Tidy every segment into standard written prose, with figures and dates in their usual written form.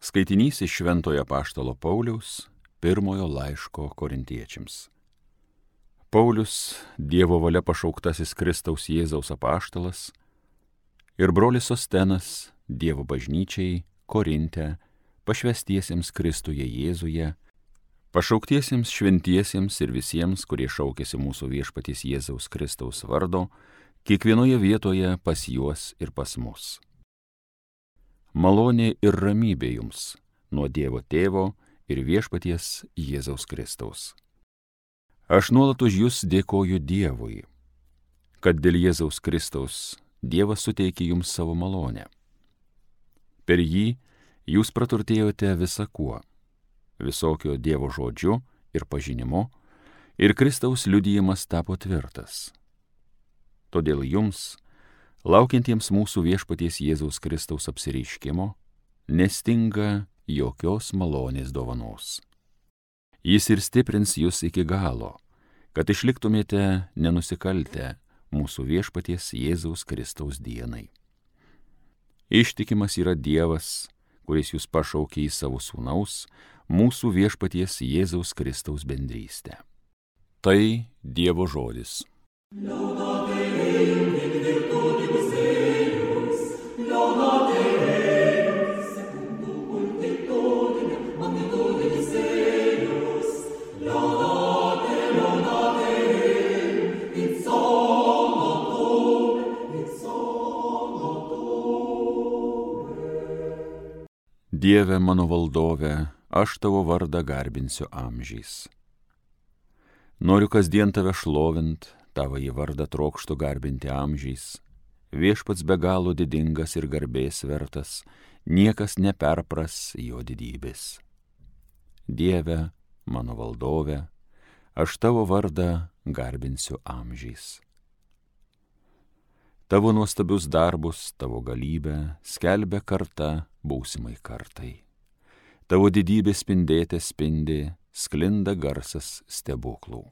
Skaitinys iš Šventojo apaštalo Pauliaus pirmojo laiško korintiečiams. Paulius, Dievo valia pašauktasis Kristaus Jėzaus apaštalas, ir brolis Sostenas, Dievo bažnyčiai, Korinte, pašvęstiesiems Kristuje Jėzuje, pašauktiesiems šventiesiems ir visiems, kurie šaukėsi mūsų viešpaties Jėzaus Kristaus vardo, kiekvienoje vietoje pas juos ir pas mus. Malonė ir ramybė jums nuo Dievo Tėvo ir viešpaties Jėzaus Kristaus. Aš nuolat už jūs dėkoju Dievui, kad dėl Jėzaus Kristaus Dievas suteikė jums savo malonę. Per jį jūs praturtėjote visa kuo, visokio Dievo žodžiu ir pažinimu, ir Kristaus liudijimas tapo tvirtas. Todėl jums, laukiantiems mūsų viešpaties Jėzaus Kristaus apsireiškimo, nestinga jokios malonės dovanos. Jis ir stiprins jūs iki galo, kad išliktumėte nenusikaltę mūsų viešpaties Jėzaus Kristaus dienai. Ištikimas yra Dievas, kuris jūs pašaukė į savo sūnaus, mūsų viešpaties Jėzaus Kristaus bendrystę. Tai Dievo žodis. Dieve mano valdove, aš tavo vardą garbinsiu amžiais. Noriu kasdien tave šlovint, tavąjį vardą trokštu garbinti amžiais. Viešpats be galo didingas ir garbės vertas, niekas neperpras jo didybės. Dieve mano valdove, aš tavo vardą garbinsiu amžiais. Tavo nuostabius darbus, tavo galybę skelbia karta būsimai kartai. Tavo didybė spindėte spindi, sklinda garsas stebuklų.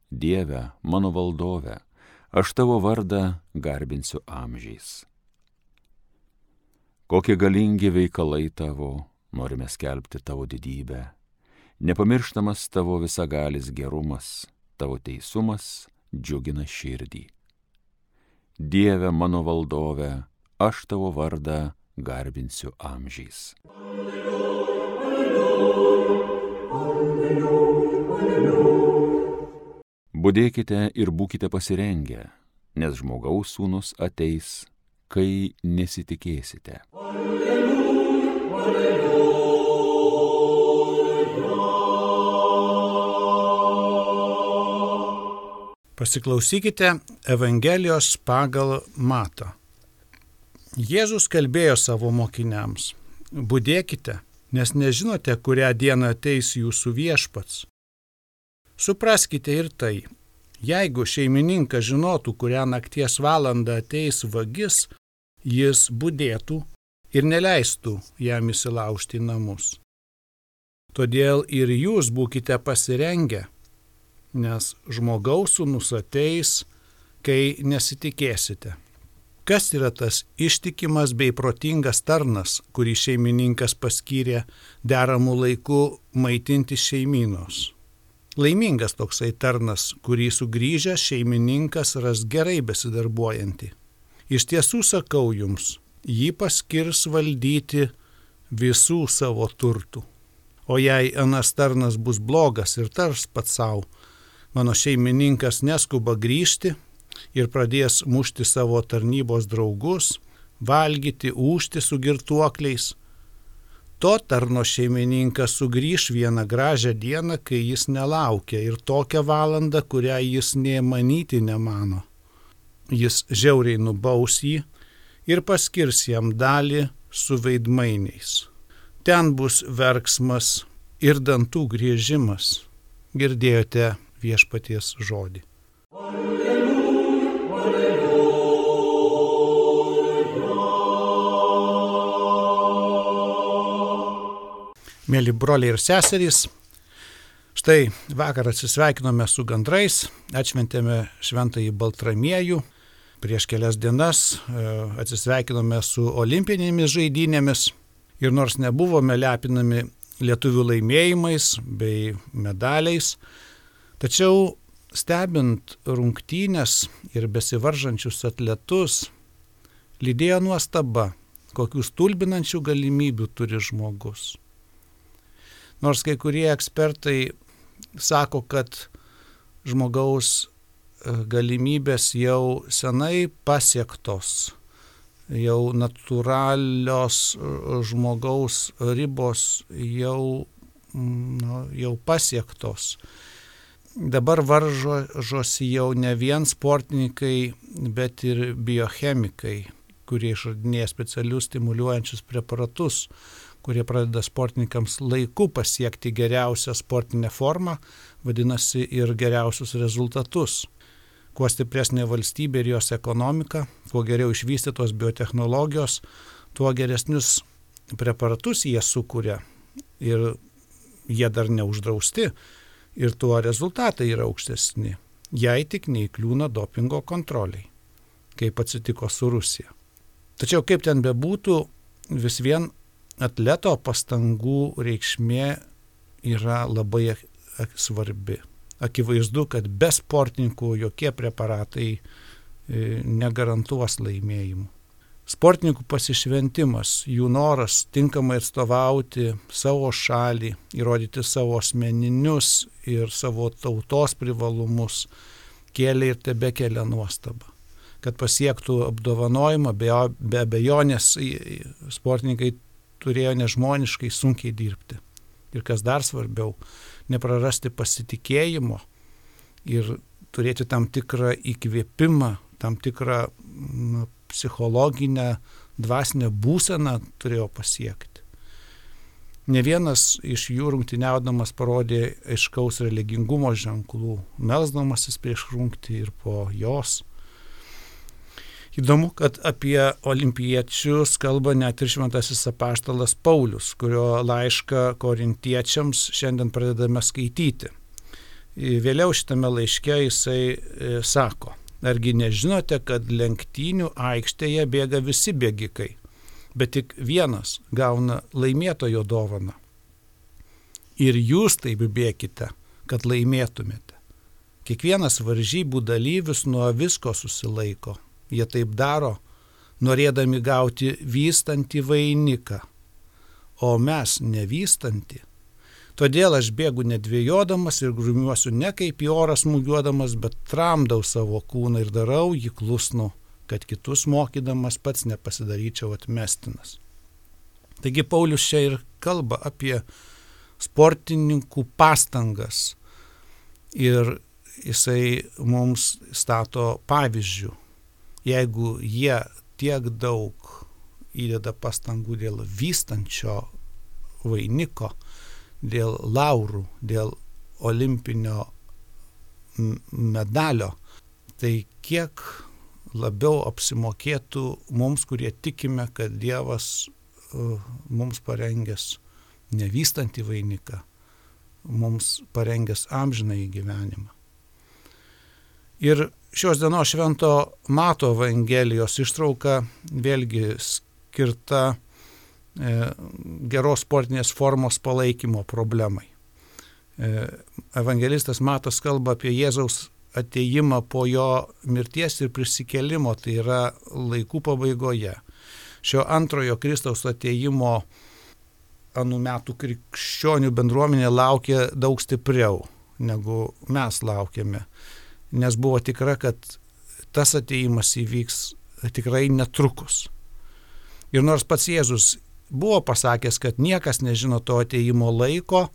Dieve, mano valdove, aš tavo vardą garbinsiu amžiais. Kokie galingi veikalai tavo, norime skelbti tavo didybę. Nepamirštamas tavo visagalis gerumas, tavo teisumas džiugina širdį. Dieve mano valdove, aš tavo vardą garbinsiu amžiais. Budėkite ir būkite pasirengę, nes žmogaus sūnus ateis, kai nesitikėsite. Pasiklausykite Evangelijos pagal Matą. Jėzus kalbėjo savo mokiniams: budėkite, nes nežinote, kurią dieną ateis jūsų viešpats. Supraskite ir tai, jeigu šeimininkas žinotų, kurią nakties valandą ateis vagis, jis budėtų ir neleistų jam įsilaužti į namus. Todėl ir jūs būkite pasirengę, nes žmogaus sūnus ateis, kai nesitikėsite. Kas yra tas ištikimas bei protingas tarnas, kurį šeimininkas paskyrė deramų laiku maitinti šeimynos? Laimingas toksai tarnas, kurį sugrįžęs šeimininkas ras gerai besidarbuojantį. Iš tiesų sakau jums, jį paskirs valdyti visų savo turtų. O jei anas tarnas bus blogas ir tars pats savo, mano šeimininkas neskuba grįžti ir pradės mušti savo tarnybos draugus, valgyti, ūžti su girtuokliais, to tarno šeimininkas sugrįš vieną gražią dieną, kai jis nelaukia, ir tokią valandą, kurią jis nė manyti nemano. Jis žiauriai nubaus jį ir paskirs jam dalį su veidmainiais. Ten bus verksmas ir dantų griežimas. Girdėjote viešpaties žodį. Mėly broliai ir seserys, štai vakar atsisveikinome su gandrais, atšventėme šventąjį Baltramiejų, prieš kelias dienas atsisveikinome su olimpinėmis žaidynėmis Ir nors nebuvome lepinami lietuvių laimėjimais bei medaliais, tačiau stebint rungtynes ir besivaržančius atletus, lydėjo nuostaba, kokių stulbinančių galimybių turi žmogus. Nors kai kurie ekspertai sako, kad žmogaus galimybės jau senai pasiektos, jau natūralios žmogaus ribos jau pasiektos. Dabar varžosi jau ne vien sportininkai, bet ir biochemikai, kurie išradinėja specialius stimuliuojančius preparatus, kurie pradeda sportininkams laiku pasiekti geriausią sportinę formą, vadinasi ir geriausius rezultatus. Kuo stipresnė valstybė ir jos ekonomika, kuo geriau išvystytos biotechnologijos, tuo geresnius preparatus jie sukuria ir jie dar neuždrausti ir tuo rezultatai yra aukštesni, jei tik neįkliūna dopingo kontroliai, kaip atsitiko su Rusija. Tačiau kaip ten bebūtų, vis vien atleto pastangų reikšmė yra labai svarbi. Akivaizdu, kad be sportininkų jokie preparatai negarantuos laimėjimų. Sportininkų pasišventimas, jų noras tinkamai atstovauti savo šalį, įrodyti savo asmeninius ir savo tautos privalumus, kėlė ir tebekelia nuostabą. Kad pasiektų apdovanojimą, be abejonės sportininkai turėjo nežmoniškai sunkiai dirbti. Ir kas dar svarbiau, neprarasti pasitikėjimo ir turėti tam tikrą įkvėpimą, tam tikrą psichologinę, dvasinę būseną turėjo pasiekti. Ne vienas iš jų rungtyniaudamas parodė aiškaus religingumo ženklų, melsdamasis prieš rungtį ir po jos. Įdomu, kad apie olimpiečius kalba net ir šventasis apaštalas Paulius, kurio laišką korintiečiams šiandien pradedame skaityti. Vėliau šitame laiške jisai sako, argi nežinote, kad lenktynių aikštėje bėga visi bėgikai, bet tik vienas gauna laimėtojo dovaną. Ir jūs taip bėkite, kad laimėtumėte. Kiekvienas varžybų dalyvis nuo visko susilaiko. Jie taip daro, norėdami gauti vystantį vainiką, o mes nevystantį. Todėl aš bėgu nedvėjodamas ir grumiuosiu ne kaip į orą smūgiuodamas, bet tramdau savo kūną ir darau jį klusnų, kad kitus mokydamas pats nepasidaryčiau atmestinas. Taigi Paulius čia ir kalba apie sportininkų pastangas ir jisai mums stato pavyzdžių. Jeigu jie tiek daug įdeda pastangų dėl vystančio vainiko, dėl laurų, dėl olimpinio medalio, tai kiek labiau apsimokėtų mums, kurie tikime, kad Dievas mums parengęs nevystantį vainiką, mums parengęs amžinąjį gyvenimą. Ir šios dienos švento Mato Evangelijos ištrauka vėlgi skirta geros sportinės formos palaikymo problemai. Evangelistas Matas kalba apie Jėzaus atėjimą po jo mirties ir prisikėlimo, tai yra laikų pabaigoje. Šio antrojo Kristaus atėjimo anų metų krikščionių bendruomenė laukė daug stipriau, negu mes laukėme. Nes buvo tikra, kad tas atėjimas įvyks tikrai netrukus. Ir nors pats Jėzus buvo pasakęs, kad niekas nežino to atėjimo laiko,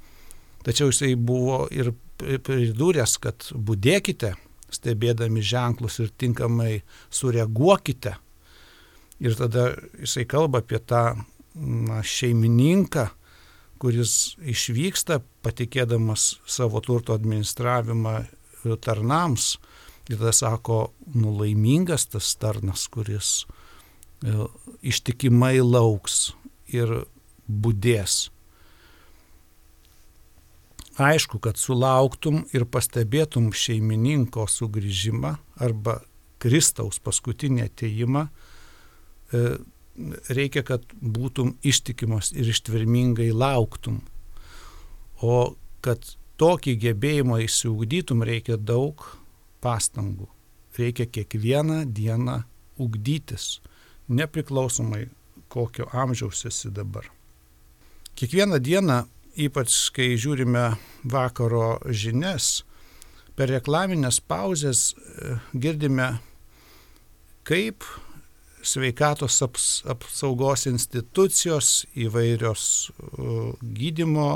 tačiau jisai buvo ir pridūręs, kad budėkite, stebėdami ženklus ir tinkamai sureaguokite. Ir tada jisai kalba apie tą šeimininką, kuris išvyksta, patikėdamas savo turto administravimą tarnams, ir tada sako, laimingas tas tarnas, kuris ištikimai lauks ir budės. Aišku, kad sulauktum ir pastebėtum šeimininko sugrįžimą arba Kristaus paskutinį atėjimą, reikia, kad būtum ištikimas ir ištvermingai lauktum. O kad tokį gebėjimą išsiugdytum, reikia daug pastangų. Reikia kiekvieną dieną ugdytis, nepriklausomai kokio amžiaus esi dabar. Kiekvieną dieną, ypač kai žiūrime vakaro žinias, per reklaminės pauzes girdime, kaip sveikatos apsaugos institucijos, įvairios gydymo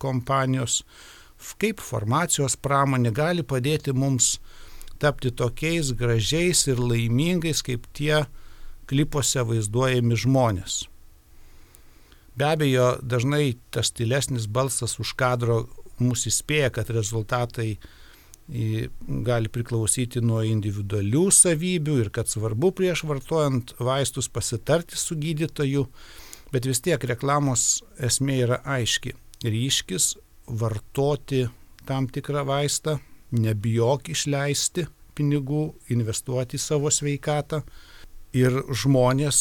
kompanijos, kaip farmacijos pramonė gali padėti mums tapti tokiais gražiais ir laimingais, kaip tie klipuose vaizduojami žmonės. Be abejo, dažnai tas tylesnis balsas už kadro mus įspėja, kad rezultatai gali priklausyti nuo individualių savybių ir kad svarbu prieš vartojant vaistus pasitarti su gydytoju, bet vis tiek reklamos esmė yra aiški. Ryškis vartoti tam tikrą vaistą, nebijok išleisti pinigų, investuoti į savo sveikatą ir žmonės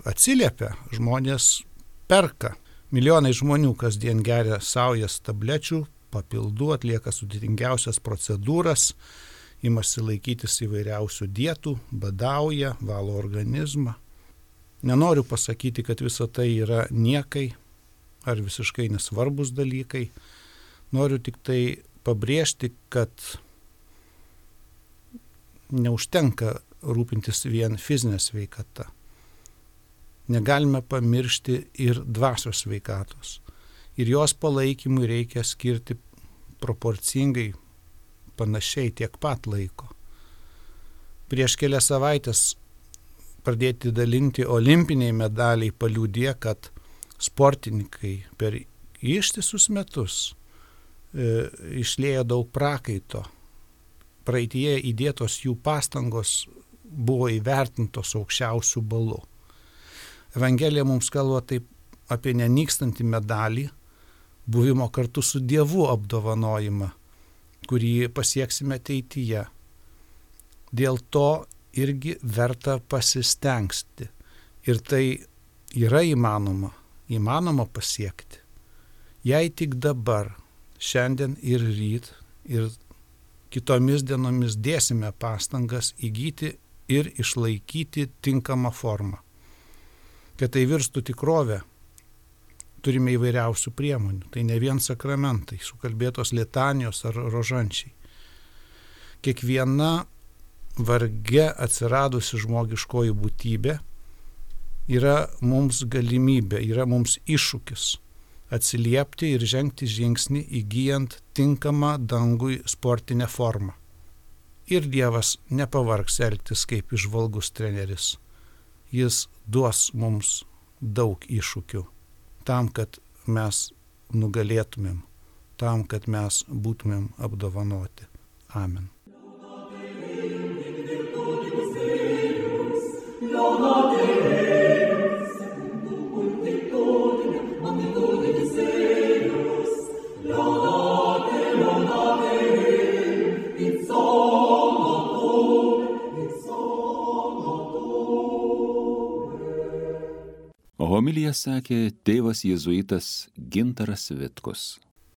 atsiliepia, žmonės perka. Milijonai žmonių kasdien geria saujas tablečių, papildų, atlieka sudėtingiausias procedūras, imasi laikytis įvairiausių dietų, badauja, valo organizmą. Nenoriu pasakyti, kad visa tai yra niekai ar visiškai nesvarbus dalykai. Noriu tik tai pabrėžti, kad neužtenka rūpintis vien fizinė sveikata. Negalime pamiršti ir dvasios sveikatos. Ir jos palaikymui reikia skirti proporcingai, panašiai tiek pat laiko. Prieš kelias savaitės pradėti dalinti olimpiniai medaliai paliudė, kad sportininkai per ištisus metus išliejo daug prakaito. Praeityje įdėtos jų pastangos buvo įvertintos aukščiausių balų. Evangelija mums kalba taip apie nenykstantį medalį, buvimo kartu su Dievu apdovanojimą, kurį pasieksime ateityje. Dėl to irgi verta pasistengti. Ir tai yra įmanoma pasiekti. Jei tik dabar, šiandien ir ryt, ir kitomis dienomis dėsime pastangas įgyti ir išlaikyti tinkamą formą. Kad tai virstų tikrovę, turime įvairiausių priemonių. Tai ne vien sakramentai, sukalbėtos litanijos ar rožančiai. Kiekviena varge atsiradusi žmogiškoji būtybė yra mums galimybė, yra mums iššūkis atsiliepti ir žengti žingsnį įgyjant tinkamą dangui sportinę formą. Ir Dievas nepavargs elgtis kaip įžvalgus treneris. Jis duos mums daug iššūkių tam, kad mes nugalėtumėm, tam, kad mes būtumėm apdovanoti. Amen. Homiliją sakė tėvas jėzuitas Gintaras Vitkus.